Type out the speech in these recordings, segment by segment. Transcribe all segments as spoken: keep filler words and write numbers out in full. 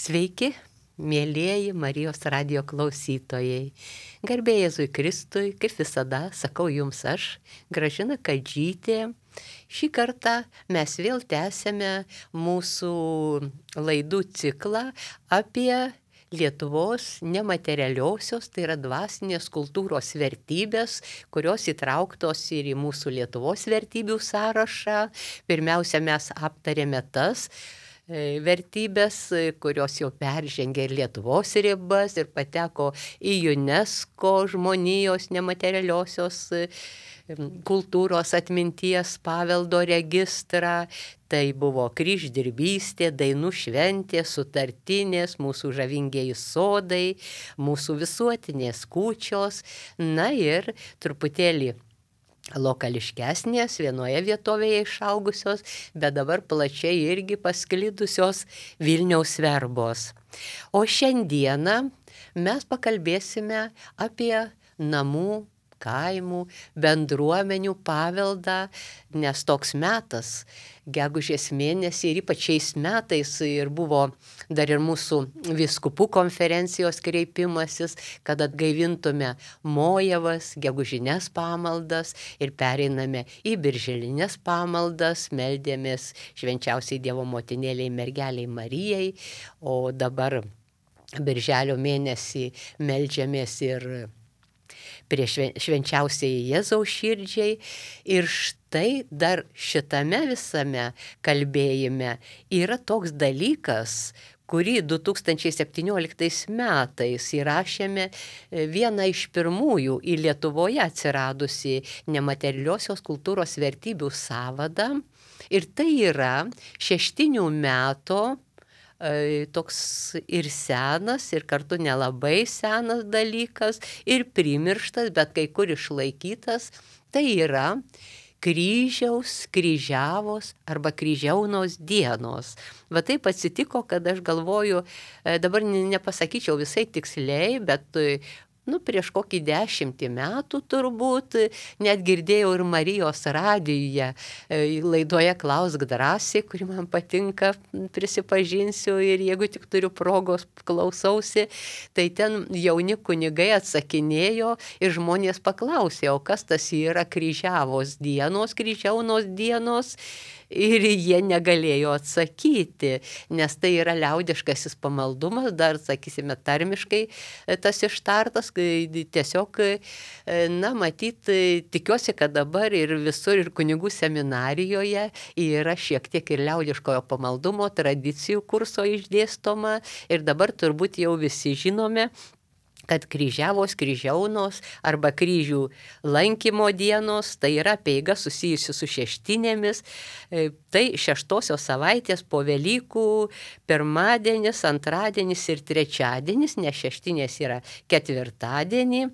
Sveiki, mėlieji Marijos radijo klausytojai. Garbė Jėzui Kristui, kaip visada, sakau jums aš, Gražina Kadžytė. Šį kartą mes vėl tęsėme mūsų laidų ciklą apie Lietuvos nematerialiosios, tai yra dvasinės kultūros vertybės, kurios įtrauktos ir į mūsų Lietuvos vertybių sąrašą. Pirmiausia, mes aptarėme tas vertybės, kurios jau peržengė ir Lietuvos ribas ir pateko į UNESCO žmonijos nematerialiosios kultūros atminties paveldo registrą. Tai buvo kryždirbystė, dainų šventė, sutartinės, mūsų žavingieji sodai, mūsų visuotinės kūčios, na ir truputėlį lokališkesnės, vienoje vietovėje išaugusios, bet dabar plačiai irgi pasklidusios Vilniaus verbos. O šiandieną mes pakalbėsime apie namų, kaimų, bendruomenių paveldą, nes toks metas, gegužės mėnesį ir ypač šiais metais ir buvo dar ir mūsų vyskupų konferencijos kreipimasis, kad atgaivintume mojavas, gegužines pamaldas ir pereiname į birželinės pamaldas, meldėmės švenčiausiai Dievo motinėliai mergeliai Marijai, o dabar birželio mėnesį meldžiamės ir prie švenčiausiai Jėzaus širdžiai. Ir štai dar šitame visame kalbėjime yra toks dalykas, kurį du tūkstančiai septynioliktais metais įrašėme vieną iš pirmųjų į Lietuvoje atsiradusi nematerialiosios kultūros vertybių sąvadą. Ir tai yra šeštinių metų toks ir senas, ir kartu nelabai senas dalykas, ir primirštas, bet kai kur išlaikytas. Tai yra kryžiaus, kryžiavos arba kryžiaunos dienos. Va taip atsitiko, kad aš galvoju, dabar nepasakyčiau visai tiksliai, bet nu, prieš kokį dešimtį metų turbūt, net girdėjau ir Marijos radijuje laidoje Klausk drąsiai, kuri man patinka, prisipažinsiu, ir jeigu tik turiu progos klausausi, tai ten jauni kunigai atsakinėjo ir žmonės paklausė, o kas tas yra kryžiavos dienos, kryžiaunos dienos. Ir jie negalėjo atsakyti, nes tai yra liaudiškasis pamaldumas, dar, sakysime, tarmiškai tas ištartas, tiesiog, na, matyt, tikiuosi, kad dabar ir visur, ir kunigų seminarijoje yra šiek tiek ir liaudiškojo pamaldumo tradicijų kurso išdėstoma, ir dabar turbūt jau visi žinome, kad kryžiavos, kryžiaunos arba kryžių lankymo dienos, tai yra apeiga susijusi su šeštinėmis, tai šeštosios savaitės po Velykų pirmadienis, antradienis ir trečiadienis, nes šeštinės yra ketvirtadienį.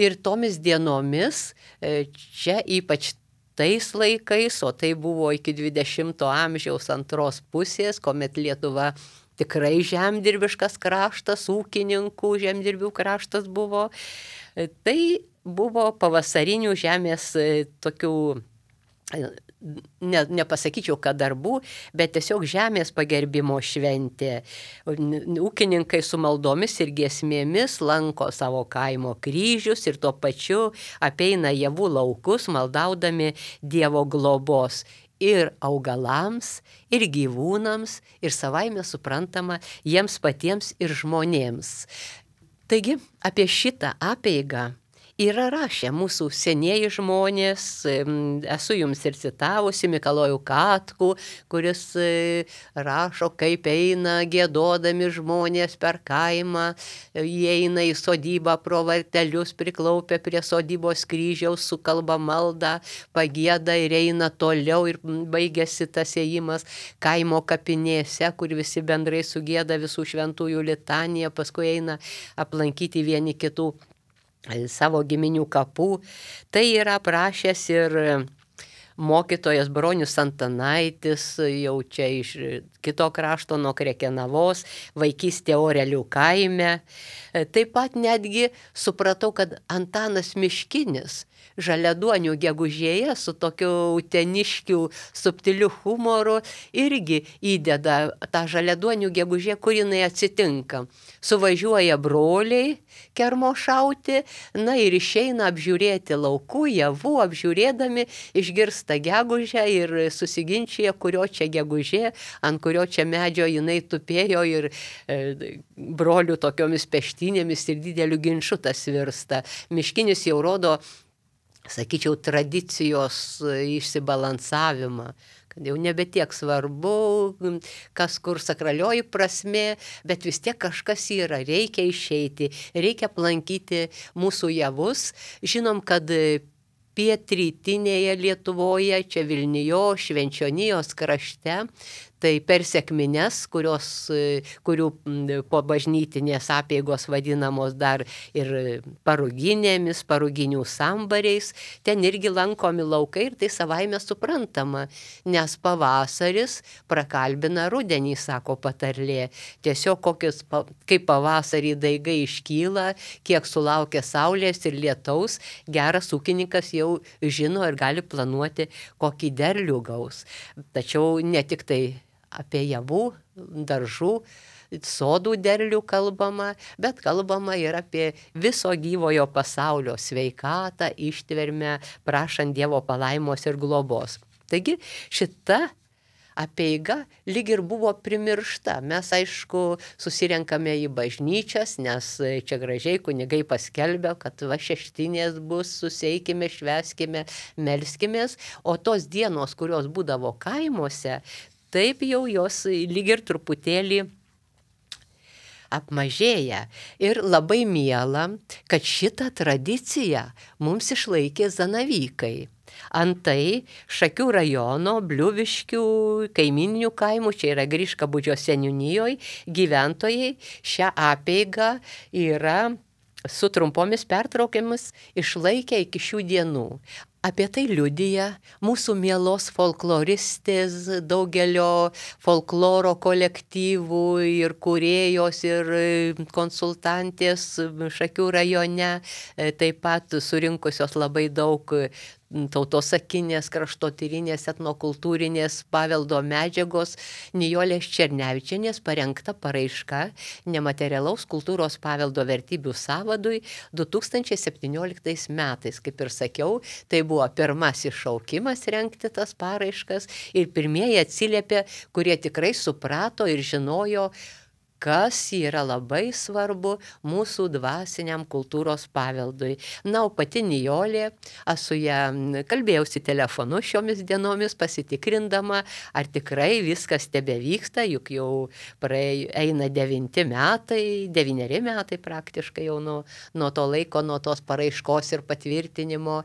Ir tomis dienomis, čia ypač tais laikais, o tai buvo iki dvidešimto amžiaus antros pusės, kuomet Lietuva tikrai žemdirbiškas kraštas, ūkininkų žemdirbių kraštas buvo. Tai buvo pavasarinių žemės tokių, ne, nepasakyčiau, kad darbų, bet tiesiog žemės pagerbimo šventė. Ūkininkai su maldomis ir giesmėmis lanko savo kaimo kryžius ir tuo pačiu apeina javų laukus, maldaudami Dievo globos ir augalams, ir gyvūnams, ir savaime suprantama jiems patiems ir žmonėms. Taigi apie šitą apeigą yra rašę mūsų senieji žmonės, esu jums ir citavusi Mikalojų Katkų, kuris rašo, kaip eina giedodami žmonės per kaimą, jie eina į sodybą pro vartelius, priklaupę prie sodybos kryžiaus, sukalba maldą, pagieda ir eina toliau, ir baigėsi tas ėjimas kaimo kapinėse, kur visi bendrai sugieda visų šventųjų litaniją, paskui eina aplankyti vieni kitų savo giminių kapų. Tai yra aprašęs ir mokytojas Bronius Antanaitis, jau čia iš kito krašto nuo Krekenavos, vaikystė Orelių kaime. Taip pat netgi supratau, kad Antanas Miškinis Žaliaduonių gegužėje su tokiu uteniškiu subtiliu humoru irgi įdeda tą Žaliaduonių gegužė, kur jinai atsitinka. Suvažiuoja broliai kermošauti, na ir išeina apžiūrėti laukų, javų, apžiūrėdami išgirsta gegužę ir susiginčia, kurio čia gegužė, ant kurio čia medžio jinai tupėjo ir e, brolių tokiomis peštynėmis ir dideliu ginču tas virsta. Miškinis jau rodo, sakyčiau, tradicijos išsibalansavimą, kad jau nebe tiek svarbu, kas kur sakralioji prasmė, bet vis tiek kažkas yra, reikia išeiti, reikia aplankyti mūsų javus. Žinom, kad pietrytinėje Lietuvoje, čia Vilnijo, Švenčionijos krašte, tai per sekmines, kurios, kurių po bažnytinės apeigos vadinamos dar ir paruginėmis, paruginių sambariais, ten irgi lankomi laukai ir tai savaime suprantama, nes pavasaris prakalbina rudenį, sako patarlė. Tiesiog kokius, kaip pavasarį daigai iškyla, kiek sulaukia saulės ir lietaus, geras ūkininkas jau žino ir gali planuoti, kokį derlių gaus. Tačiau ne tik tai apie javų, daržų, sodų derlių kalbama, bet kalbama ir apie viso gyvojo pasaulio sveikatą, ištvermę, prašant Dievo palaimos ir globos. Taigi šita apeiga lyg ir buvo primiršta. Mes, aišku, susirenkame į bažnyčias, nes čia gražiai kunigai paskelbė, kad va šeštinės bus, susieikime, švęskime, melskimės, o tos dienos, kurios būdavo kaimuose, taip jau jos lyg ir truputėlį apmažėja. Ir labai miela, kad šitą tradiciją mums išlaikė Zanavykai. Antai Šakių rajono Bliuviškių kaimininių kaimų, čia yra Griškabūdžio seniūnijoje, gyventojai šią apeigą yra su trumpomis pertraukiamis išlaikę iki šių dienų. Apie tai liudija mūsų mielos folkloristės, daugelio folkloro kolektyvų ir kūrėjos ir konsultantės Šakių rajone, taip pat surinkusios labai daug tautosakinės, kraštotyrinės, etnokultūrinės paveldo medžiagos Nijolės Černevičienės parengta paraiška nematerialaus kultūros paveldo vertybių sąvadui du tūkstančiai septynioliktais metais. Kaip ir sakiau, tai buvo pirmasis šaukimas rengti tas paraiškas ir pirmieji atsiliepė, kurie tikrai suprato ir žinojo, kas yra labai svarbu mūsų dvasiniam kultūros paveldui. Na, o pati Nijolė, aš su ją kalbėjausi telefonu šiomis dienomis, pasitikrindama, ar tikrai viskas tebevyksta, juk jau praėjo, eina devinti metai, devyneri metai praktiškai jau nuo, nuo to laiko, nuo tos paraiškos ir patvirtinimo.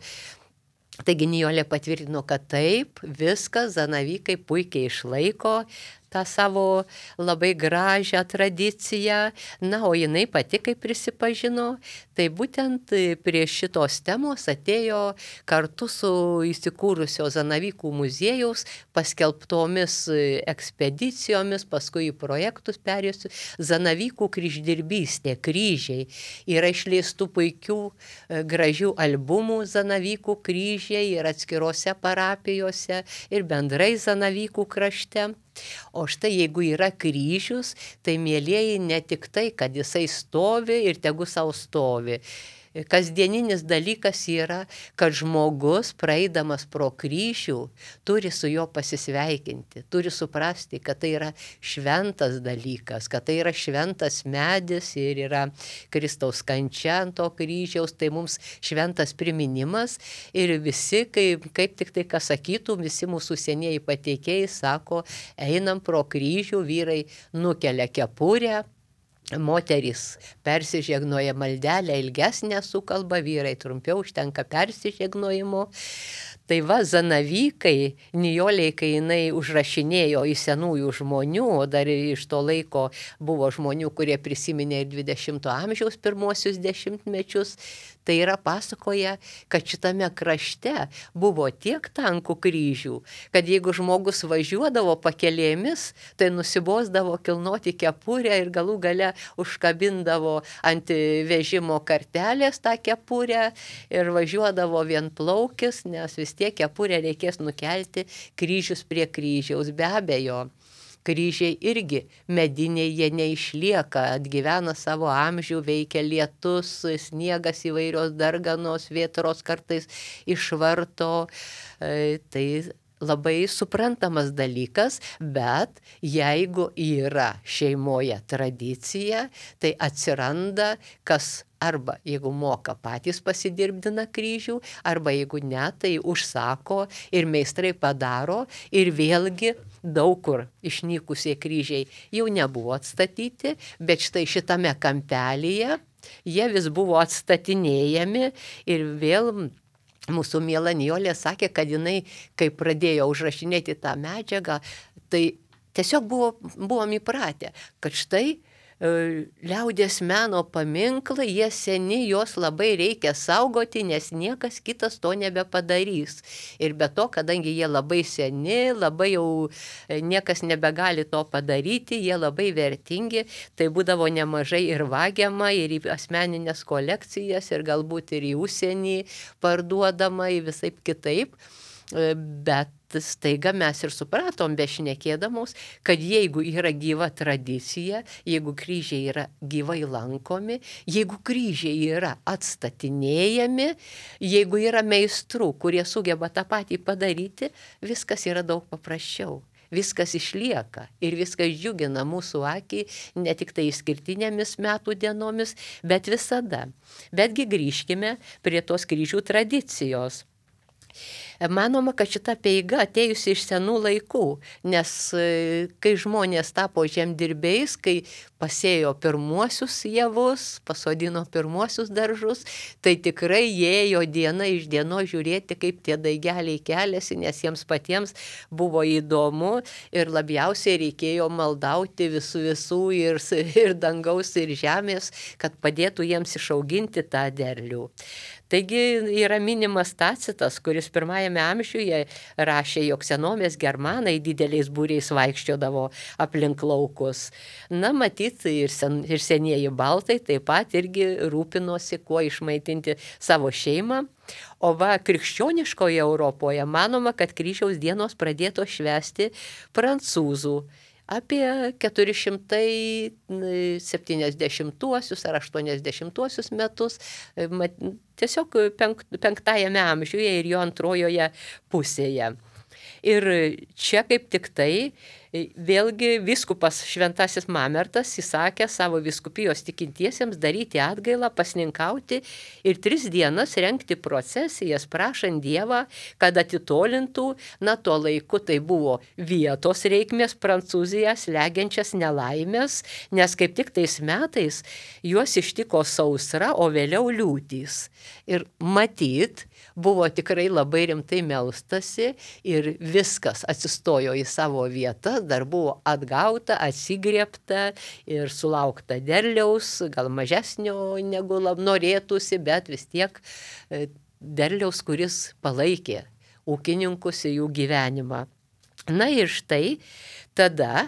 Taigi Nijolė patvirtino, kad taip, viskas, Zanavykai puikiai išlaiko tą savo labai gražią tradiciją. Na, o jinai pati, kaip prisipažino, tai būtent prie šitos temos atėjo kartu su įsikūrusio Zanavykų muziejaus paskelbtomis ekspedicijomis, paskui į projektus perėjusių Zanavykų kryždirbystė, kryžiai. Yra išleistų puikių gražių albumų Zanavykų kryžiai ir atskirose parapijose ir bendrai Zanavykų krašte. O štai jeigu yra kryžius, tai mielieji ne tik tai, kad jisai stovi ir tegu sau stovi. Kasdieninis dalykas yra, kad žmogus, praeidamas pro kryžių, turi su juo pasisveikinti, turi suprasti, kad tai yra šventas dalykas, kad tai yra šventas medis ir yra Kristaus kančia ant to kryžiaus, tai mums šventas priminimas ir visi, kaip, kaip tik tai, kas sakytų, visi mūsų senieji pateikėjai sako, einam pro kryžių, vyrai nukelia kepurę, moterys persižegnoja maldelę ilgesnę sukalba, vyrai trumpiau, užtenka persižegnojimo. Tai va, zanavykai, nijoliai, kai jinai užrašinėjo į senųjų žmonių, o dar iš to laiko buvo žmonių, kurie prisiminė ir dvidešimto amžiaus pirmuosius dešimtmečius, tai yra pasakoja, kad šitame krašte buvo tiek tankų kryžių, kad jeigu žmogus važiuodavo pakelėmis, tai nusibosdavo kilnoti kepurę ir galų gale užkabindavo ant vežimo kartelės tą kepurę ir važiuodavo vienplaukis, nes vis tiek kepurę reikės nukelti kryžius prie kryžiaus. Be abejo, kryžiai irgi mediniai, jie neišlieka, atgyvena savo amžių, veikia lietus, sniegas, įvairios darganos, vėtros kartais išvarto. Tai labai suprantamas dalykas, bet jeigu yra šeimoje tradicija, tai atsiranda kas arba jeigu moka patys pasidirbdina kryžių, arba jeigu ne, tai užsako ir meistrai padaro ir vėlgi daug kur išnykusie kryžiai jau nebuvo atstatyti, bet štai šitame kampelyje jie vis buvo atstatinėjami ir vėl mūsų miela Nijolė sakė, kad jinai, kai pradėjo užrašinėti tą medžiagą, tai tiesiog buvo, buvom įpratę, kad štai liaudies meno paminklai, jie seni, juos labai reikia saugoti, nes niekas kitas to nebepadarys. Ir be to, kadangi jie labai seni, labai jau niekas nebegali to padaryti, jie labai vertingi, tai būdavo nemažai ir vagiama, ir į asmeninės kolekcijas, ir galbūt ir į užsienį parduodama, į visaip kitaip. Bet staiga mes ir supratom, bešnekėdamos, kad jeigu yra gyva tradicija, jeigu kryžiai yra gyvai lankomi, jeigu kryžiai yra atstatinėjami, jeigu yra meistrų, kurie sugeba tą patį padaryti, viskas yra daug paprasčiau. Viskas išlieka ir viskas džiugina mūsų akį ne tik tai išskirtinėmis metų dienomis, bet visada. Betgi grįžkime prie tos kryžių tradicijos. Manoma, kad šita apeiga atėjusi iš senų laikų, nes kai žmonės tapo žemdirbiais, kai pasėjo pirmuosius javus, pasodino pirmuosius daržus, tai tikrai ėjo diena iš dienos žiūrėti, kaip tie daigeliai keliasi, nes jiems patiems buvo įdomu ir labiausiai reikėjo maldauti visų visų ir, ir dangaus, ir žemės, kad padėtų jiems išauginti tą derlių. Taigi yra minimas Tacitas, kuris pirmajame amžiuje rašė, jog senovės germanai dideliais būriais vaikščiodavo aplink laukus. Na, matyt, ir, sen, ir senieji baltai taip pat irgi rūpinosi, kuo išmaitinti savo šeimą. O va, krikščioniškoje Europoje manoma, kad kryžiaus dienos pradėto švęsti prancūzų. Apie keturi šimtai septyniasdešimtuosius ar aštuoniasdešimtuosius metus, tiesiog penk, penktajame amžiuje ir jo antrojoje pusėje. Ir čia kaip tik tai vėlgi vyskupas Šventasis Mamertas įsakė savo vyskupijos tikintiesiems daryti atgailą, pasninkauti ir tris dienas rengti procesijas, prašant Dievą, kad atitolintų, na, tuo laiku tai buvo vietos reikmės Prancūziją slegiančias nelaimės, nes kaip tik tais metais juos ištiko sausra, o vėliau liūtys. Ir matyt, buvo tikrai labai rimtai melstasi ir viskas atsistojo į savo vietą, dar buvo atgauta, atsigriebta ir sulaukta derliaus, gal mažesnio negu norėtųsi, bet vis tiek derliaus, kuris palaikė ūkininkus ir jų gyvenimą. Na ir štai tada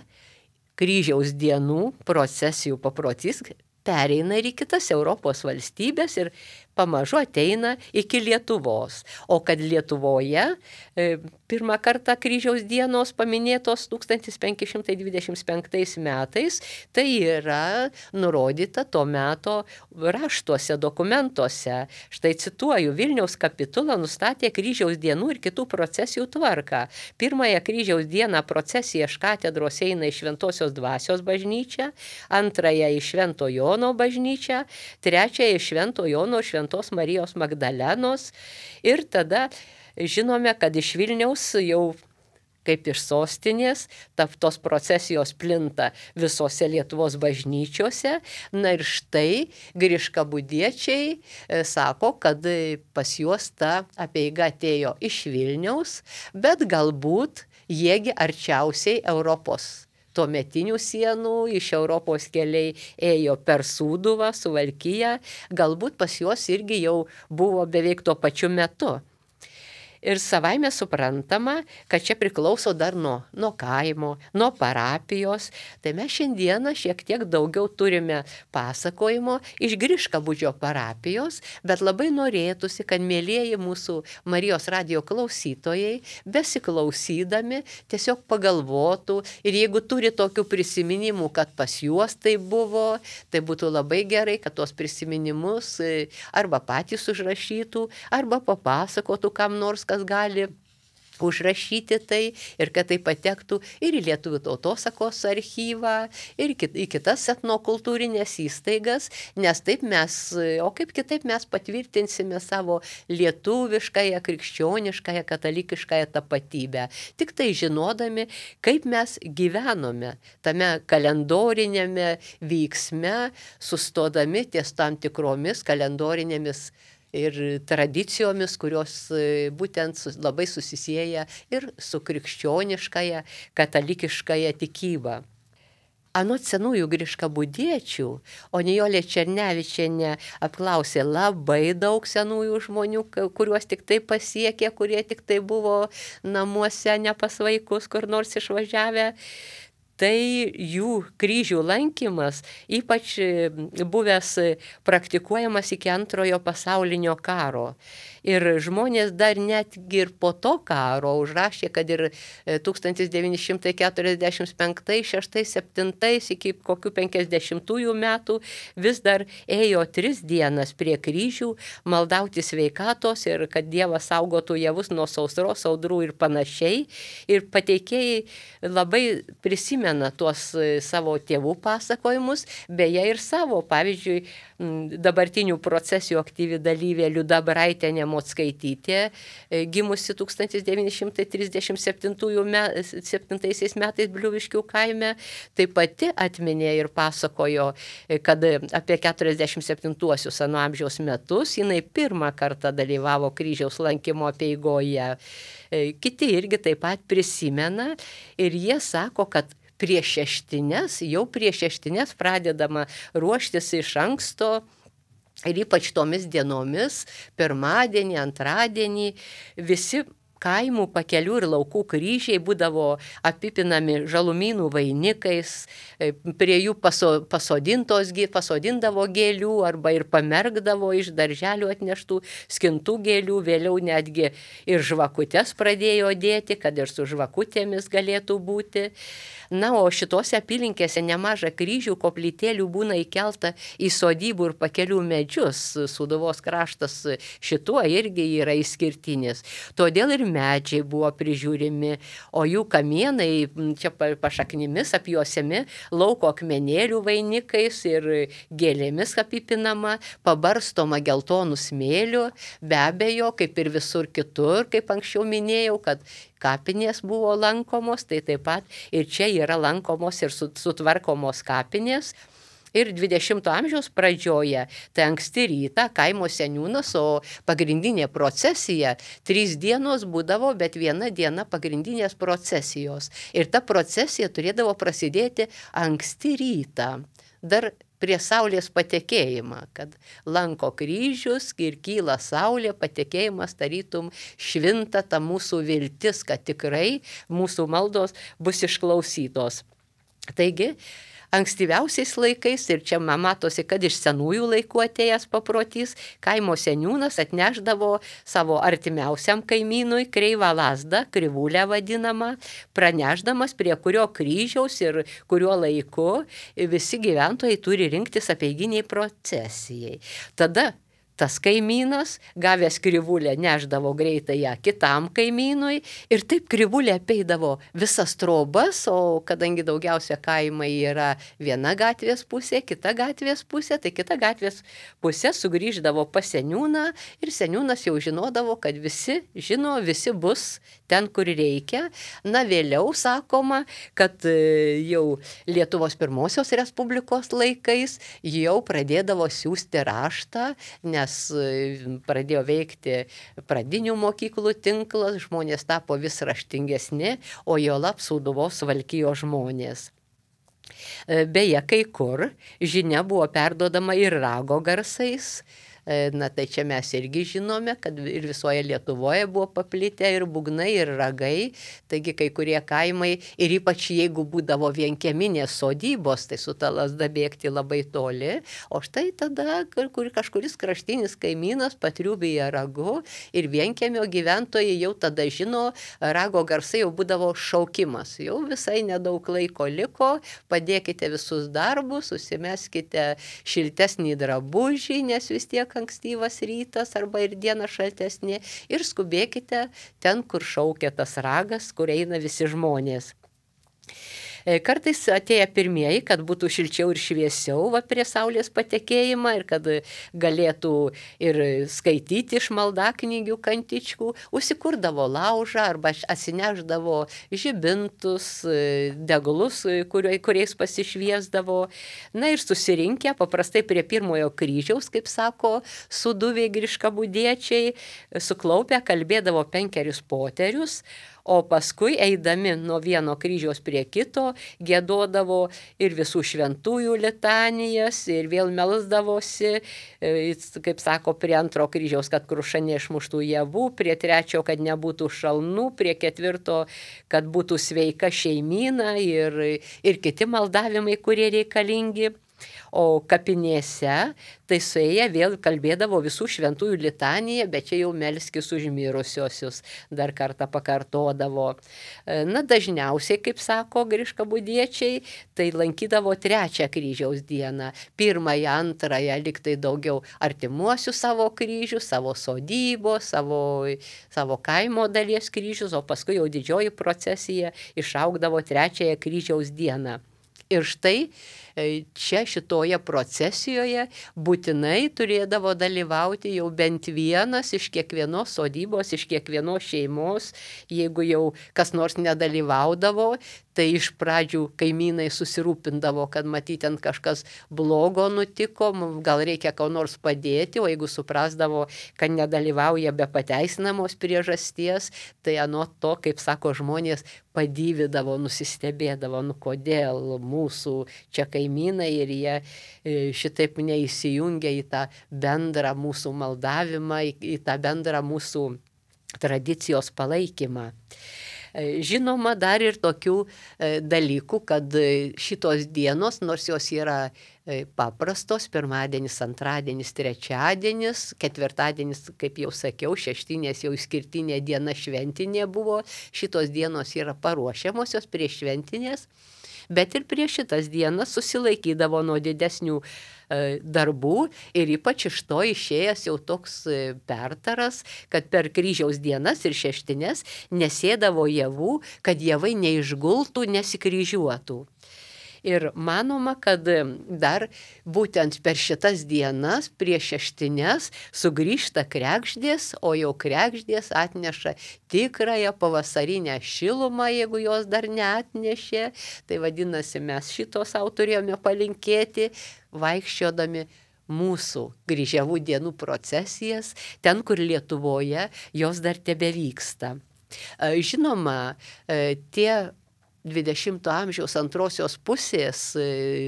kryžiaus dienų procesijų paprotys pereina ir į kitas Europos valstybės ir pamažu ateina iki Lietuvos. O kad Lietuvoje e, pirmą kartą kryžiaus dienos paminėtos tūkstantis penki šimtai dvidešimt penktais metais, tai yra nurodyta to meto raštuose, dokumentuose. Štai cituoju, Vilniaus kapitula nustatė kryžiaus dienų ir kitų procesijų tvarką. Pirmąją kryžiaus dieną procesija iš katedros eina į Šventosios dvasios bažnyčią, antrąją į Švento Jono bažnyčią, trečiąją į Švento Jono Šventos Marijos Magdalenos ir tada žinome, kad iš Vilniaus jau kaip iš sostinės, ta, tos procesijos plinta visose Lietuvos bažnyčiose. Na ir štai griškabūdiečiai e, sako, kad pas juos ta apeiga atėjo iš Vilniaus, bet galbūt jiegi arčiausiai Europos tuometinių sienų, iš Europos keliai ėjo per Sūduvą, Suvalkiją, galbūt pas juos irgi jau buvo beveik tuo pačiu metu. Ir savaime suprantama, kad čia priklauso dar nuo, nuo kaimo, nuo parapijos. Tai mes šiandieną šiek tiek daugiau turime pasakojimo iš Griškabūdžio parapijos, bet labai norėtųsi, kad mielieji mūsų Marijos radijo klausytojai, besiklausydami, tiesiog pagalvotų ir jeigu turi tokių prisiminimų, kad pas juos tai buvo, tai būtų labai gerai, kad tuos prisiminimus arba patys užrašytų, arba papasakotų kam nors, kas gali užrašyti tai ir kad tai patektų ir į Lietuvių tautosakos archyvą, ir į kitas etnokultūrinės įstaigas, nes taip mes, o kaip kitaip mes patvirtinsime savo lietuviškąją, krikščioniškąją, katalikiškąją tapatybę. Tik tai žinodami, kaip mes gyvenome tame kalendorinėme vyksme, sustodami ties tam tikromis kalendorinėmis ir tradicijomis, kurios būtent labai susisieja ir su krikščioniškąja, katalikiškąja tikyba. Anot senųjų griškabūdiečių, o Nijolė Černevičienė apklausė labai daug senųjų žmonių, kuriuos tik tai pasiekė, kurie tik tai buvo namuose, ne pas vaikus, kur nors išvažiavę. Tai jų kryžių lankymas, ypač buvęs praktikuojamas iki antrojo pasaulinio karo. Ir žmonės dar netgi ir po to karo užrašė, kad ir tūkstantis devyni šimtai keturiasdešimt penktais, šeštais, septintais iki kokių penkiasdešimtųjų metų vis dar ėjo tris dienas prie kryžių, maldauti sveikatos ir kad Dievas saugotų javus nuo sausros, audrų ir panašiai. Ir pateikėjai labai prisimena tuos savo tėvų pasakojimus, beje ir savo, pavyzdžiui, dabartinių procesijų aktyvi dalyvė Liuda Braitienė Mocskaitytė, gimusi tūkstantis devyni šimtai trisdešimt septintaisiais metais Bliuviškių kaime, taip pati atminė ir pasakojo, kad apie keturiasdešimt septintuosius ano amžiaus metus jinai pirmą kartą dalyvavo kryžiaus lankymo apeigoje. Kiti irgi taip pat prisimena ir jie sako, kad prieš šeštines, jau prieš šeštines pradedama ruoštis iš anksto ir ypač tomis dienomis, pirmadienį, antradienį, visi kaimų, pakelių ir laukų kryžiai būdavo apipinami žalumynų vainikais, prie jų paso, pasodintos, pasodindavo gėlių arba ir pamergdavo iš darželių atneštų skintų gėlių, vėliau netgi ir žvakutes pradėjo dėti, kad ir su žvakutėmis galėtų būti. Na, o šitose apylinkėse nemaža kryžių koplytėlių būna įkelta į sodybų ir pakelių medžius. Sūduvos kraštas šituo irgi yra išskirtinis. Todėl ir medžiai buvo prižiūrimi, o jų kamienai čia pašaknimis apjuosiami lauko akmenėlių vainikais ir gėlėmis apipinama, pabarstoma geltonų smėlių, be abejo, kaip ir visur kitur, kaip anksčiau minėjau, kad kapinės buvo lankomos, tai taip pat ir čia yra lankomos ir sutvarkomos kapinės. Ir dvidešimto amžiaus pradžioje, tai anksti rytą kaimo seniūnas, o pagrindinė procesija, trys dienos būdavo, bet viena diena pagrindinės procesijos. Ir ta procesija turėdavo prasidėti anksti rytą, dar prie saulės patekėjimą, kad lanko kryžius ir kyla saulė, patekėjimas tarytum švinta ta mūsų viltis, kad tikrai mūsų maldos bus išklausytos. Taigi, ankstyviausiais laikais, ir čia matosi, kad iš senųjų laikų atėjęs paprotys, kaimo seniūnas atnešdavo savo artimiausiam kaimynui kreivą lazdą, krivulę vadinamą, pranešdamas, prie kurio kryžiaus ir kuriuo laiku visi gyventojai turi rinktis apeiginiai procesijai. Tada tas kaimynas, gavęs krivulę, neždavo greitai ją kitam kaimynui ir taip krivulė apeidavo visas trobas, o kadangi daugiausia kaimai yra viena gatvės pusė, kita gatvės pusė, tai kita gatvės pusė sugrįždavo pas seniūną ir seniūnas jau žinodavo, kad visi žino, visi bus ten, kur reikia. Na, vėliau sakoma, kad jau Lietuvos pirmosios Respublikos laikais jau pradėdavo siųsti raštą, nes pradėjo veikti pradinių mokyklų tinklas, žmonės tapo vis raštingesni, o juolab Sūduvos Suvalkijos žmonės. Beje, kai kur žinia buvo perduodama ir rago garsais. Na, tai čia mes irgi žinome, kad ir visoje Lietuvoje buvo paplitę ir būgnai, ir ragai, taigi kai kurie kaimai, ir ypač jeigu būdavo vienkieminės sodybos, tai su ta lazda bėgti labai toli, o štai tada kur kažkuris kraštinis kaimynas patriubija ragu ir vienkiemio gyventojai jau tada žino, rago garsai jau būdavo šaukimas, jau visai nedaug laiko liko, padėkite visus darbus, susimeskite šiltesnį drabužį, nes vis tiek ankstyvas rytas arba ir diena šaltesnė ir skubėkite ten, kur šaukia tas ragas, kur eina visi žmonės. Kartais atėję pirmieji, kad būtų šilčiau ir šviesiau va, prie saulės patekėjimą ir kad galėtų ir skaityti iš maldaknygių kantičkų, užsikurdavo laužą arba atsineždavo žibintus, deglus, kuriais pasišviesdavo. Na ir susirinkę paprastai prie pirmojo kryžiaus, kaip sako sūduviai griškabūdiečiai, suklaupę kalbėdavo penkerius poterius, o paskui eidami nuo vieno kryžiaus prie kito, giedodavo ir visų šventųjų litanijas ir vėl melsdavosi, kaip sako, prie antro kryžiaus, kad kruša neišmuštų javų, prie trečio, kad nebūtų šalnų, prie ketvirto, kad būtų sveika šeimyna ir, ir kiti maldavimai, kurie reikalingi. O kapinėse, tai suėję vėl kalbėdavo visų šventųjų litaniją, bet čia jau melskis už mirusiosius, dar kartą pakartodavo. Na, dažniausiai, kaip sako griškabūdiečiai, tai lankydavo trečią kryžiaus dieną. Pirmąją, antrąją, liktai daugiau artimuosių savo kryžių, savo sodybos, savo, savo kaimo dalies kryžius, o paskui jau didžioji procesija išaugdavo trečiąją kryžiaus dieną. Ir štai čia šitoje procesijoje būtinai turėdavo dalyvauti jau bent vienas iš kiekvienos sodybos, iš kiekvienos šeimos. Jeigu jau kas nors nedalyvaudavo, tai iš pradžių kaimynai susirūpindavo, kad matyti ten kažkas blogo nutiko, gal reikia ką nors padėti, o jeigu suprasdavo, kad nedalyvauja be pateisinamos priežasties, tai anot to, kaip sako žmonės, padivydavo, nusistebėdavo, nu kodėl mūsų čia kaimynai ir jie šitaip neįsijungia į tą bendrą mūsų maldavimą, į tą bendrą mūsų tradicijos palaikymą. Žinoma, dar ir tokių dalykų, kad šitos dienos, nors jos yra paprastos, pirmadienis, antradienis, trečiadienis, ketvirtadienis, kaip jau sakiau, šeštinės jau išskirtinė diena šventinė buvo, šitos dienos yra paruošiamosios prieš šventinės, bet ir prieš šitas dienas susilaikydavo nuo didesnių darbų ir ypač iš to išėjęs jau toks pertaras, kad per kryžiaus dienas ir šeštines nesėdavo javų, kad javai neišgultų, nesikryžiuotų. Ir manoma, kad dar būtent per šitas dienas prieš šeštines sugrįžta kregždės, o jau kregždės atneša tikrąją pavasarinę šilumą, jeigu jos dar neatnešė. Tai vadinasi, mes šito sau turėjome palinkėti, vaikščiodami mūsų kryžiavų dienų procesijas, ten, kur Lietuvoje jos dar tebevyksta. Žinoma, tie dvidešimto amžiaus antrosios pusės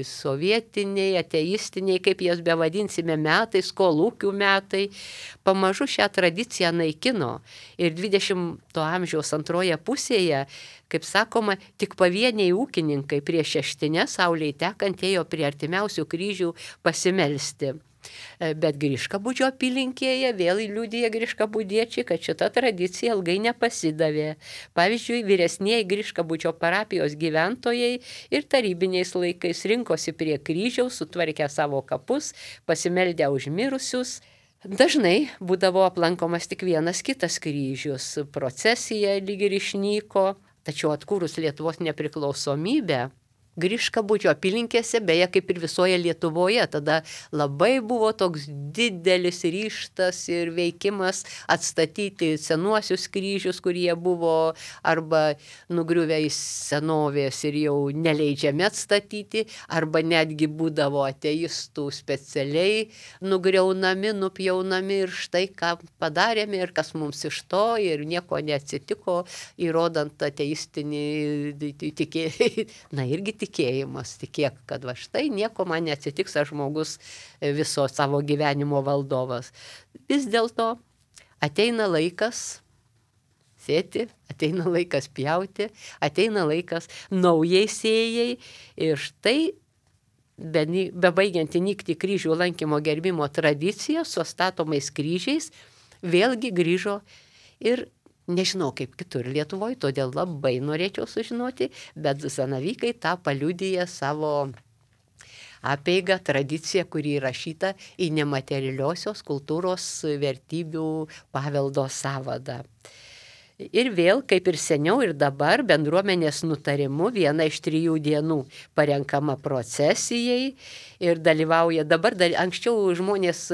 sovietiniai, ateistiniai, kaip jas bevadinsime, metai, kolūkių metai, pamažu šią tradiciją naikino. Ir dvidešimto amžiaus antroje pusėje, kaip sakoma, tik pavieniai ūkininkai prieš šeštinę saulei tekant ėjo prie artimiausių kryžių pasimelsti. Bet Griškabūdžio apylinkėje vėl liudija griškabūdiečiai, kad šita tradicija ilgai nepasidavė. Pavyzdžiui, vyresnieji Griškabūdžio parapijos gyventojai ir tarybiniais laikais rinkosi prie kryžiaus, sutvarkę savo kapus, pasimeldę už mirusius, Dažnai būdavo aplankomas tik vienas kitas kryžius, procesija lyg ir išnyko, tačiau atkūrus Lietuvos nepriklausomybę, Griškabūdžio apylinkėse, beje, kaip ir visoje Lietuvoje, tada labai buvo toks didelis ryžtas ir veikimas atstatyti senuosius kryžius, kurie buvo arba nugriuvę į senovės ir jau neleidžiami atstatyti, arba netgi būdavo ateistų specialiai nugriaunami, nupjaunami ir štai ką padarėme ir kas mums iš to ir nieko neatsitiko, įrodant ateistinį tikėjimą, na irgi tikėjimas, tikėk, kad va štai nieko man neatsitiks, aš žmogus viso savo gyvenimo valdovas. Vis dėlto ateina laikas sėti, ateina laikas pjauti, ateina laikas naujai sėjai ir štai bebaigianti nykti kryžių lankymo gerbimo tradicija su statomais kryžiais vėlgi grįžo ir nežinau kaip kitur Lietuvoje, todėl labai norėčiau sužinoti, bet zanavykai tą paliudija savo apeigą, tradiciją, kuri įrašyta į nematerialiosios kultūros vertybių paveldo sąvadą. Ir vėl, kaip ir seniau ir dabar, bendruomenės nutarimu viena iš trijų dienų parenkama procesijai ir dalyvauja, dabar dar, anksčiau žmonės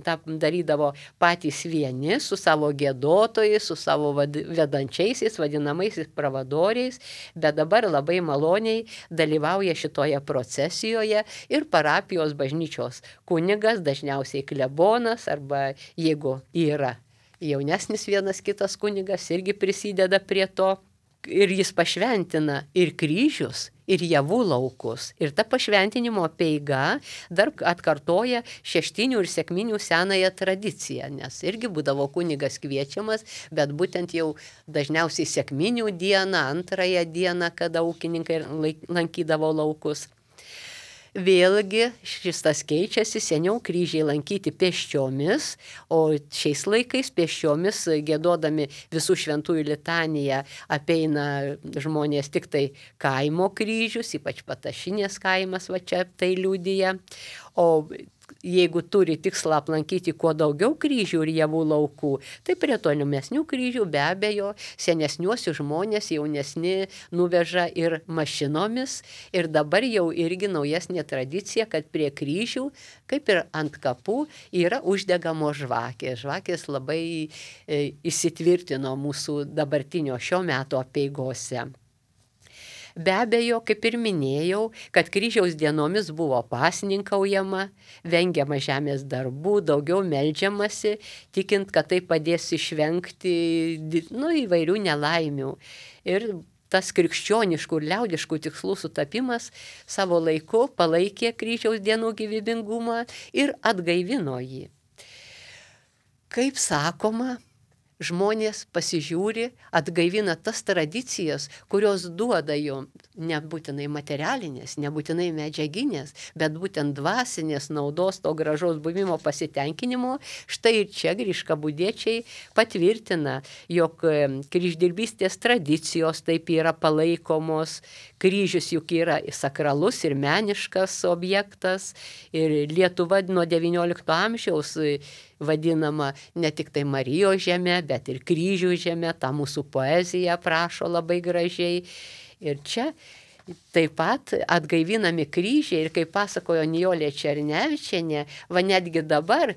tą darydavo patys vieni su savo giedotojais, su savo vad, vedančiaisiais, vadinamaisiais pravadoriais, bet dabar labai maloniai dalyvauja šitoje procesijoje ir parapijos bažnyčios kunigas, dažniausiai klebonas arba jeigu yra jaunesnis vienas kitas kunigas irgi prisideda prie to ir jis pašventina ir kryžius, ir javų laukus. Ir ta pašventinimo apeiga dar atkartoja šeštinių ir sekminių senąją tradiciją, nes irgi būdavo kunigas kviečiamas, bet būtent jau dažniausiai sekminių dieną, antrąją dieną, kada ūkininkai lankydavo laukus. Vėlgi šis tas keičiasi, seniau kryžiai lankyti pėsčiomis, o šiais laikais pėsčiomis giedodami visų šventųjų litaniją apeina žmonės tik tai kaimo kryžius, ypač Patašinės kaimas va čia tai liudija, o jeigu turi tikslą aplankyti kuo daugiau kryžių ir javų laukų, tai prie tolimesnių kryžių be abejo senesniuosius žmonės jaunesni nuveža ir mašinomis ir dabar jau irgi naujesnė tradicija, kad prie kryžių, kaip ir ant kapų, yra uždegamos žvakės. Žvakės labai e, įsitvirtino mūsų dabartinio šio meto apeigose. Be abejo, kaip ir minėjau, kad kryžiaus dienomis buvo pasninkaujama, vengiama žemės darbų, daugiau meldžiamasi, tikint, kad tai padės išvengti nu, įvairių nelaimių. Ir tas krikščioniškų ir liaudiškų tikslų sutapimas savo laiku palaikė kryžiaus dienų gyvybingumą ir atgaivino jį. Kaip sakoma, žmonės pasižiūri, atgaivina tas tradicijas, kurios duoda jom nebūtinai materialinės, nebūtinai medžiaginės, bet būtent dvasinės naudos, to gražaus buvimo pasitenkinimo. Štai ir čia griškabūdiečiai patvirtina, jog kryždirbystės tradicijos taip yra palaikomos, kryžius juk yra sakralus ir meniškas objektas ir Lietuva nuo devyniolikto amžiaus vadinama ne tik tai Marijos žemė, bet ir kryžių žemė, tą mūsų poeziją aprašo labai gražiai. Ir čia taip pat atgaivinami kryžiai ir kaip pasakojo Nijolė Černevičienė, va netgi dabar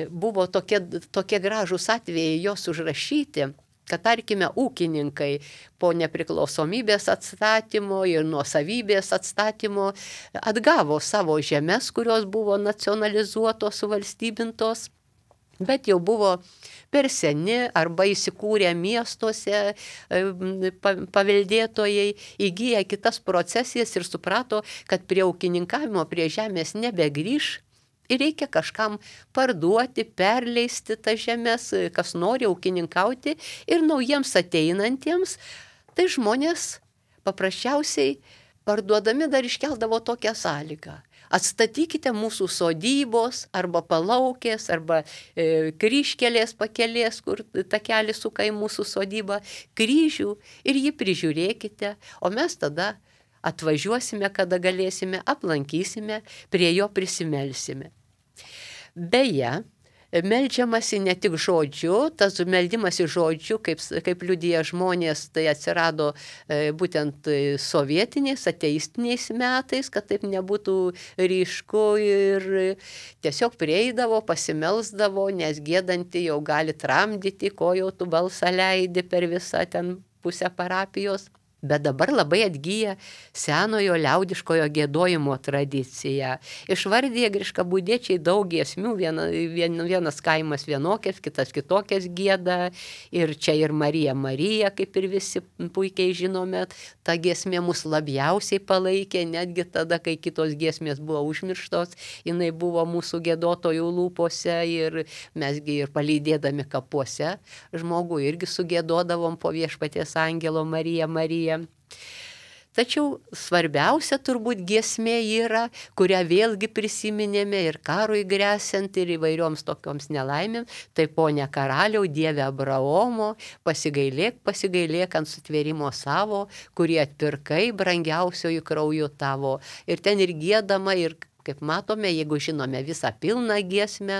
buvo tokie, tokie gražūs atvejai jos užrašyti, kad tarkime ūkininkai po nepriklausomybės atstatymo ir nuosavybės atstatymo atgavo savo žemes, kurios buvo nacionalizuotos, suvalstybintos, bet jau buvo per seni arba įsikūrę miestuose paveldėtojai, įgyję kitas procesijas ir suprato, kad prie ūkininkavimo, prie žemės nebegrįš ir reikia kažkam parduoti, perleisti tas žemės, kas nori ūkininkauti ir naujiems ateinantiems, tai žmonės paprasčiausiai parduodami dar iškeldavo tokią sąlygą. Atstatykite mūsų sodybos arba palaukės arba e, kryžkelės pakelės, kur takelis suka į mūsų sodybą, kryžių ir jį prižiūrėkite, o mes tada atvažiuosime, kada galėsime, aplankysime, prie jo prisimelsime. Beje, Meldžiamasi ne tik žodžiu, tas meldimasi žodžiu, kaip, kaip liudija žmonės, tai atsirado e, būtent sovietiniais, ateistiniais metais, kad taip nebūtų ryšku ir tiesiog prieidavo, pasimelsdavo, nes gėdanti jau gali tramdyti, ko jau tu balsą leidi per visą ten pusę parapijos. Bet dabar labai atgyja senojo liaudiškojo giedojimo tradicija. Išvardė griškabūdiečiai daug giesmių, viena, vien, vienas kaimas vienokias, kitas kitokias gieda. Ir čia ir Marija Marija, kaip ir visi puikiai žinome, ta giesmė mus labiausiai palaikė, netgi tada, kai kitos giesmės buvo užmirštos, jinai buvo mūsų giedotojų lūpose ir mesgi ir palydėdami kapuose žmogų irgi sugiedodavom po Viešpaties angelo Marija Marija. Tačiau svarbiausia turbūt giesmė yra, kurią vėlgi prisiminėme ir karui gresiant ir įvairioms tokioms nelaimėms, tai Pone karaliau, Dieve Abraomo, pasigailėk, pasigailėk ant sutvėrimo savo, kurį atpirkai brangiausiojų krauju tavo. Ir ten ir giedama, ir kaip matome, jeigu žinome visą pilną giesmę,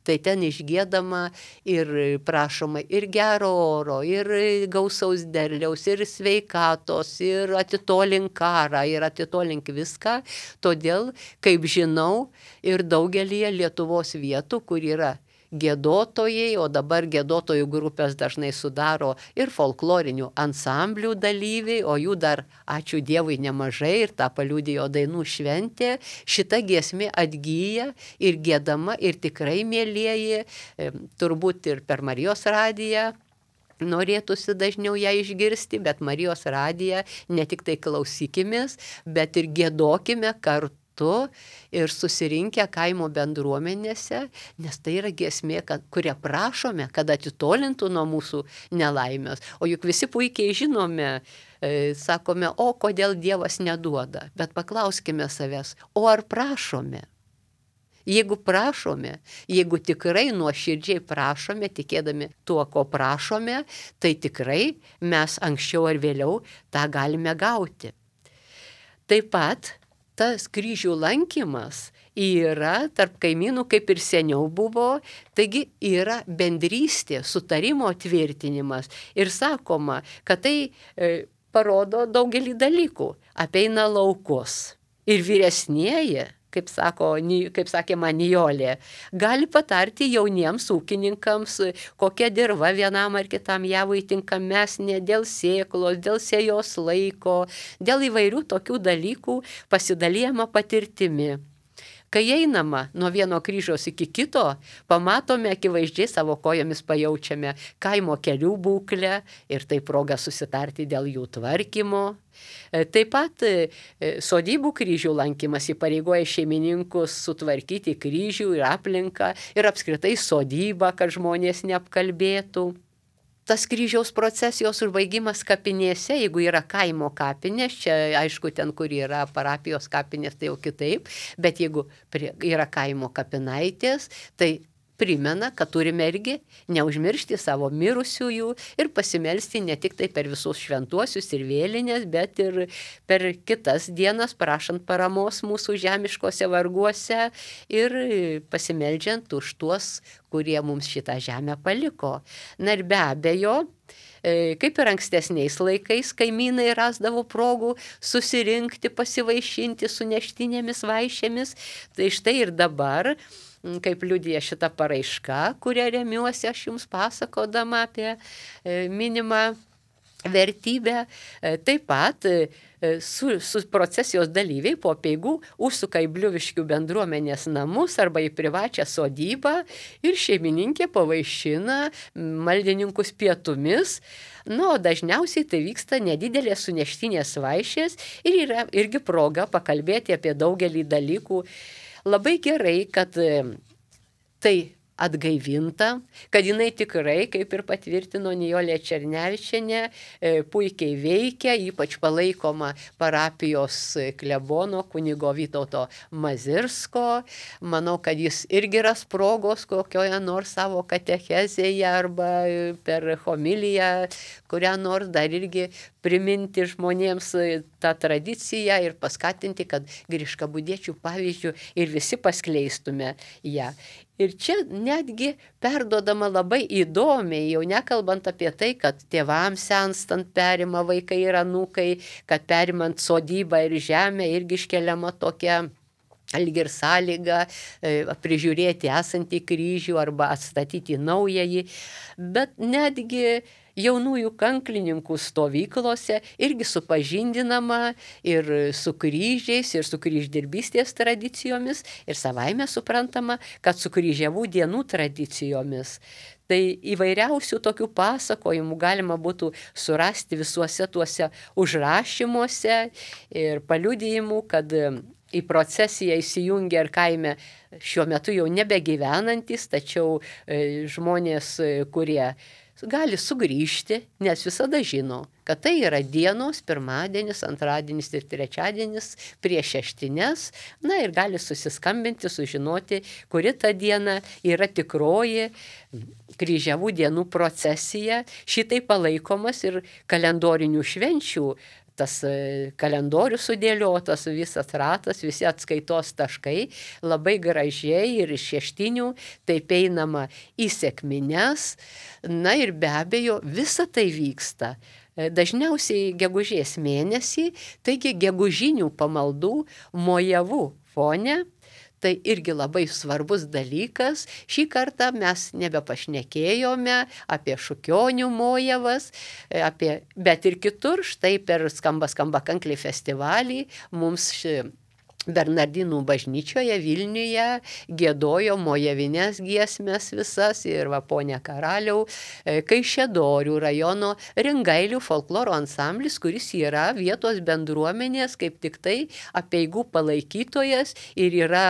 tai ten išgiedama ir prašoma ir gero oro, ir gausaus derliaus, ir sveikatos, ir atitolink karą, ir atitolink viską. Todėl, kaip žinau, ir daugelį Lietuvos vietų, kur yra giedotojai, o dabar giedotojų grupės dažnai sudaro ir folklorinių ansamblių dalyviai, o jų dar, ačiū Dievui, nemažai ir tą paliudijo dainų šventė. Šita giesmė atgyja ir giedama ir tikrai, mielieji, turbūt ir per Marijos radiją norėtųsi dažniau ją išgirsti, bet Marijos radiją ne tik tai klausykimės, bet ir giedokime kartu ir susirinkę kaimo bendruomenėse, nes tai yra giesmė, kad, kurią prašome, kad atitolintų nuo mūsų nelaimės. O juk visi puikiai žinome, e, sakome, o kodėl Dievas neduoda, bet paklauskime savęs, o ar prašome? Jeigu prašome, jeigu tikrai nuoširdžiai prašome, tikėdami tuo, ko prašome, tai tikrai mes anksčiau ar vėliau tą galime gauti. Taip pat tas kryžių lankymas yra tarp kaimynų, kaip ir seniau buvo, taigi yra bendrystė, sutarimo tvirtinimas. Ir sakoma, kad tai e, parodo daugelį dalykų, apeina laukus. Ir vyresnieji, kaip, sako, kaip sakė man Nijolė, gali patarti jauniems ūkininkams, kokia dirva vienam ar kitam javui tinkamesnė dėl sėklos, dėl sėjos laiko, dėl įvairių tokių dalykų pasidalijama patirtimi. Kai einama nuo vieno kryžiaus iki kito, pamatome akivaizdžiai savo kojomis pajaučiame kaimo kelių būklę ir tai proga susitarti dėl jų tvarkymo. Taip pat sodybų kryžių lankymas įpareigoja šeimininkus sutvarkyti kryžių ir aplinką ir apskritai sodybą, kad žmonės neapkalbėtų. Tas kryžiaus procesijos užbaigimas kapinėse, jeigu yra kaimo kapinės, čia aišku ten, kur yra parapijos kapinės, tai jau kitaip, bet jeigu yra kaimo kapinaitės, tai primena, kad turime irgi neužmiršti savo mirusiųjų ir pasimelsti ne tik tai per visus šventuosius ir vėlinės, bet ir per kitas dienas, prašant paramos mūsų žemiškose varguose ir pasimeldžiant už tuos, kurie mums šitą žemę paliko. Na ir be abejo, kaip ir ankstesniais laikais, kaimynai rasdavo progų susirinkti, pasivaišinti su neštinėmis vaišėmis, tai štai ir dabar, kaip liudija šita paraiška, kurią remiuosi aš jums pasakodama apie minimą vertybę. Taip pat su, su procesijos dalyviai po apeigų užsuka į Bliuviškių bendruomenės namus arba į privačią sodybą ir šeimininkė pavaišina maldininkus pietumis. Na, o dažniausiai tai vyksta nedidelės suneštinės vaišės ir yra irgi proga pakalbėti apie daugelį dalykų. Labai gerai, kad tai atgaivinta, kad jinai tikrai, kaip ir patvirtino Nijolė Černevičienė, puikiai veikia, ypač palaikoma parapijos klebono kunigo Vytauto Mazirsko. Manau, kad jis irgi ras progos kokioje nors savo katechezėje arba per homiliją, kurią nors dar irgi priminti žmonėms tą tradiciją ir paskatinti, kad Griškabūdiečių pavyzdžių ir visi paskleistume ją. Ir čia netgi perduodama labai įdomiai, jau nekalbant apie tai, kad tėvams senstant perima vaikai ir anūkai, kad perimant sodybą ir žemę irgi iškeliama tokia lyg ir sąlyga prižiūrėti esantį kryžių arba atstatyti naująjį, bet netgi jaunųjų kanklininkų stovyklose irgi supažindinama ir su kryžiais, ir su kryždirbystės tradicijomis, ir savaime suprantama, kad su kryžiavų dienų tradicijomis. Tai įvairiausių tokių pasakojimų galima būtų surasti visuose tuose užrašymuose ir paliudijimų, kad į procesiją įsijungia ir kaime šiuo metu jau nebegyvenantis, tačiau žmonės, kurie gali sugrįžti, nes visada žino, kad tai yra dienos, pirmadienis, antradienis ir trečiadienis prieš šeštines, na ir gali susiskambinti, sužinoti, kuri ta diena yra tikroji kryžiavų dienų procesija. Šitai palaikomas ir kalendorinių švenčių. Tas kalendorius sudėliotas, visas ratas, visi atskaitos taškai, labai gražiai ir iš šeštinių, taip einama į sekmines, na ir be abejo visa tai vyksta. Dažniausiai gegužės mėnesį, taigi gegužinių pamaldų mojavų fone. Tai irgi labai svarbus dalykas. Šį kartą mes nebepašnekėjome apie Šukionių mojavas, apie, bet ir kitur, štai per Skamba skamba kankliai festivalį mums ši Bernardinų bažnyčioje Vilniuje giedojo mojavines giesmes visas ir va ponia Karaliau, Kaišiadorių rajono Ringailių folkloro ansamblis, kuris yra vietos bendruomenės kaip tik tai apeigų palaikytojas ir yra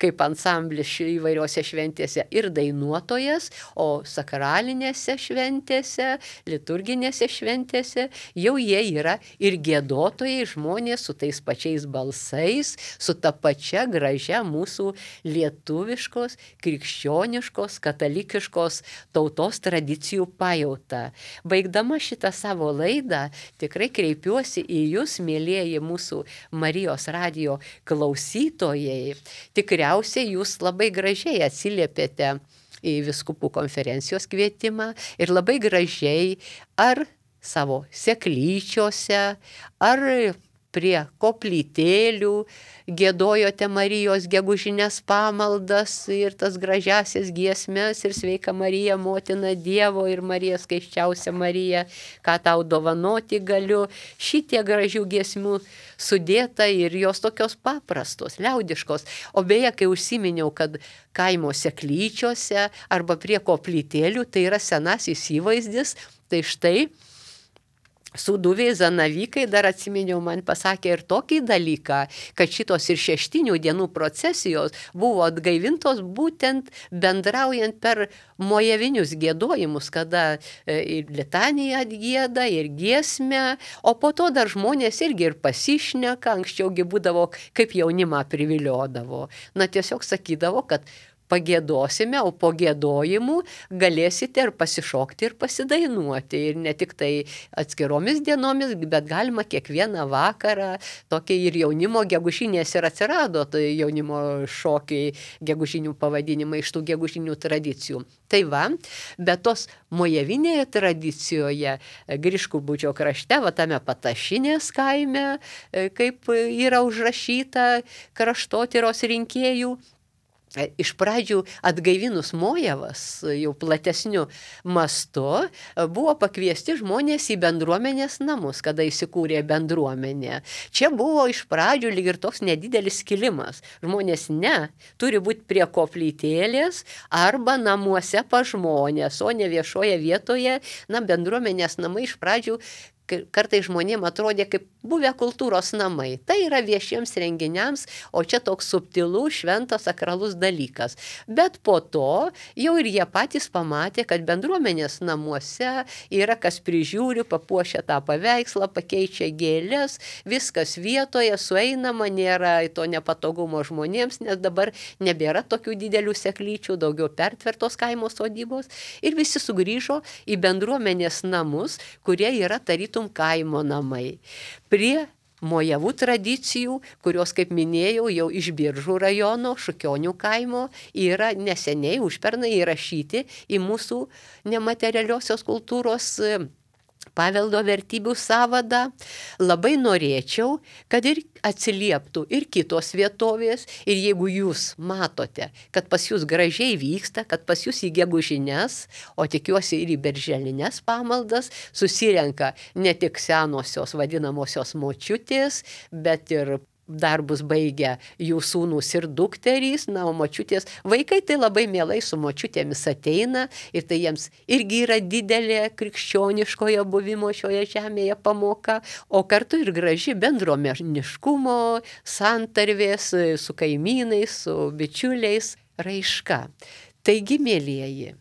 kaip ansamblis įvairiose šventėse ir dainuotojas, o sakralinėse šventėse, liturginėse šventėse jau jie yra ir giedotojai, žmonės su tais pačiais balsais, su ta pačia gražia mūsų lietuviškos, krikščioniškos, katalikiškos tautos tradicijų pajauta. Baigdama šitą savo laidą, tikrai kreipiuosi į jūs, mielieji mūsų Marijos radijo klausytojai. Tikriausiai jūs labai gražiai atsiliepėte į vyskupų konferencijos kvietimą ir labai gražiai ar savo seklyčiose, ar prie koplytėlių giedojote Marijos gegužinės pamaldas ir tas gražiasias giesmes ir sveika Marija, motina Dievo ir Marija skaisčiausia Marija, ką tau dovanoti galiu. Šitie gražių giesmių sudėta ir jos tokios paprastos, liaudiškos. O beje, kai užsiminiau, kad kaimo seklyčiose arba prie koplytėlių tai yra senasis įvaizdis, tai štai Sūduviai zanavykai, dar atsiminiau, man pasakė ir tokį dalyką, kad šitos ir šeštinių dienų procesijos buvo atgaivintos būtent bendraujant per mojavinius giedojimus, kada ir litaniją atgieda, ir giesmę, o po to dar žmonės irgi ir pasišneka, anksčiaugi būdavo, kaip jaunimą priviliodavo. Na tiesiog sakydavo, kad pagiedosime, o po giedojimų galėsite ir pasišokti ir pasidainuoti. Ir ne tik tai atskiromis dienomis, bet galima kiekvieną vakarą. Tokie ir jaunimo gegužinės ir atsirado, tai jaunimo šokiai, gegužinių pavadinimai iš tų gegužinių tradicijų. Tai va, bet tos mojavinėje tradicijoje, Griškabūdžio krašte, va tame Patašinės kaime, kaip yra užrašyta kraštotyros rinkėjų, iš pradžių atgaivinus mojavas, jau platesniu mastu, buvo pakviesti žmonės į bendruomenės namus, kada įsikūrė bendruomenė. Čia buvo iš pradžių lyg ir toks nedidelis skilimas. Žmonės ne, turi būti prie koplytėlės arba namuose pa žmonės, o ne viešoje vietoje. Na, bendruomenės namai iš pradžių kartais žmonėms atrodė kaip buvę kultūros namai. Tai yra viešiems renginiams, o čia toks subtilus, šventas, sakralus dalykas. Bet po to jau ir jie patys pamatė, kad bendruomenės namuose yra kas prižiūri, papuošia tą paveikslą, pakeičia gėlės, viskas vietoje, sueinama, nėra to nepatogumo žmonėms, nes dabar nebėra tokių didelių seklyčių, daugiau pertvertos kaimo sodybos. Ir visi sugrįžo į bendruomenės namus, kurie yra tarytum tarytum kaimo namai. Prie mojavų tradicijų, kurios, kaip minėjau, jau iš Biržų rajono, Šukionių kaimo, yra neseniai užpernai įrašyti į mūsų nematerialiosios kultūros paveldo vertybių sąvadą. Labai norėčiau, kad ir atsilieptų ir kitos vietovės, ir jeigu jūs matote, kad pas jūs gražiai vyksta, kad pas jūs į gegužines, o tikiuosi ir į berželines pamaldas, susirenka ne tik senosios vadinamosios močiutės, bet ir darbus baigia jų sūnus ir dukterys, na, o močiutės, vaikai tai labai mielai su močiutėmis ateina ir tai jiems irgi yra didelė krikščioniškojo buvimo šioje žemėje pamoka, o kartu ir graži bendruomeniškumo, santarvės su kaimynais, su bičiuliais raiška. Taigi, mielieji,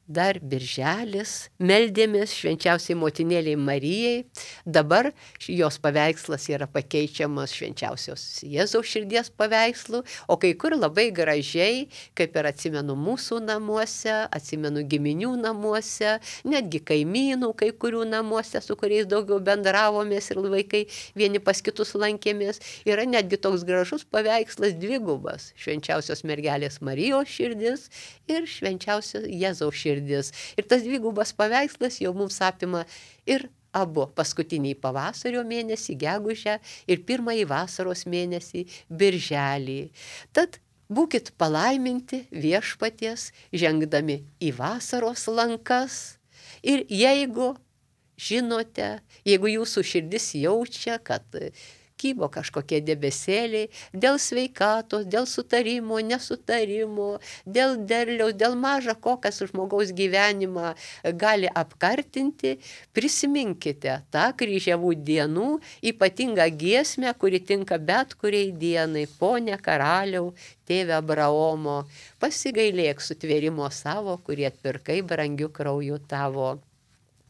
dar birželis, meldėmės švenčiausiai motinėliai Marijai, dabar jos paveikslas yra pakeičiamas švenčiausios Jėzaus širdies paveikslu, o kai kur labai gražiai, kaip ir atsimenu mūsų namuose, atsimenu giminių namuose, netgi kaimynų kai kurių namuose, su kuriais daugiau bendravomės ir vaikai vieni pas kitus lankėmės, yra netgi toks gražus paveikslas dvigubas, švenčiausios mergelės Marijos širdis ir švenčiausios Jėzaus širdis. Ir tas dvigubas paveikslas jau mums apima ir abu paskutiniai pavasario mėnesį, gegužę, ir pirmąjį vasaros mėnesį, birželį. Tad būkit palaiminti viešpaties, žengdami į vasaros lankas. Ir jeigu žinote, jeigu jūsų širdis jaučia, kad kybo kažkokie debesėliai, dėl sveikatos, dėl sutarimo, nesutarimo, dėl derliaus, dėl maža ko, kas žmogaus gyvenimą gali apkartinti, prisiminkite tą kryžiavų dienų ypatingą giesmę, kuri tinka bet kuriai dienai. Pone karaliau, tėve Abraomo, pasigailėk sutvėrimo savo, kurį atpirkai brangiu krauju tavo.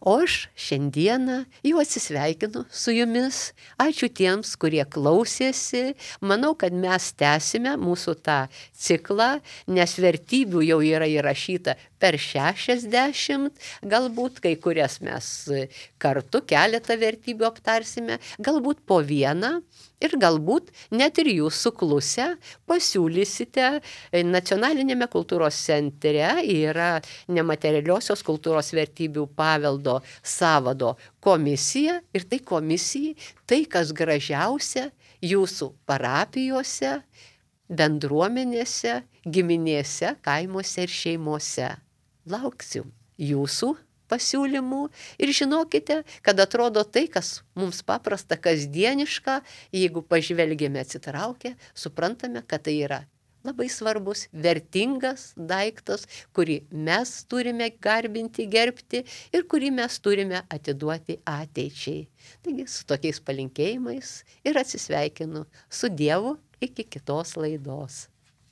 O aš šiandieną jau atsisveikinu su jumis. Ačiū tiems, kurie klausėsi. Manau, kad mes tęsime mūsų tą ciklą, nes vertybių jau yra įrašyta per šešiasdešimt, galbūt kai kurias mes kartu keletą vertybių aptarsime, galbūt po vieną. Ir galbūt net ir jūs suklusę pasiūlysite Nacionalinėme kultūros centre yra nematerialiosios kultūros vertybių paveldo sąvado komisija ir tai komisijai tai, kas gražiausia jūsų parapijose, bendruomenėse, giminėse, kaimuose ir šeimose. Lauksiu jūsų pasiūlymų ir žinokite, kad atrodo tai, kas mums paprasta, kasdieniška, jeigu pažvelgėme atsitraukę, suprantame, kad tai yra labai svarbus, vertingas daiktas, kurį mes turime garbinti, gerbti ir kurį mes turime atiduoti ateičiai. Taigi su tokiais palinkėjimais ir atsisveikinu su Dievu iki kitos laidos.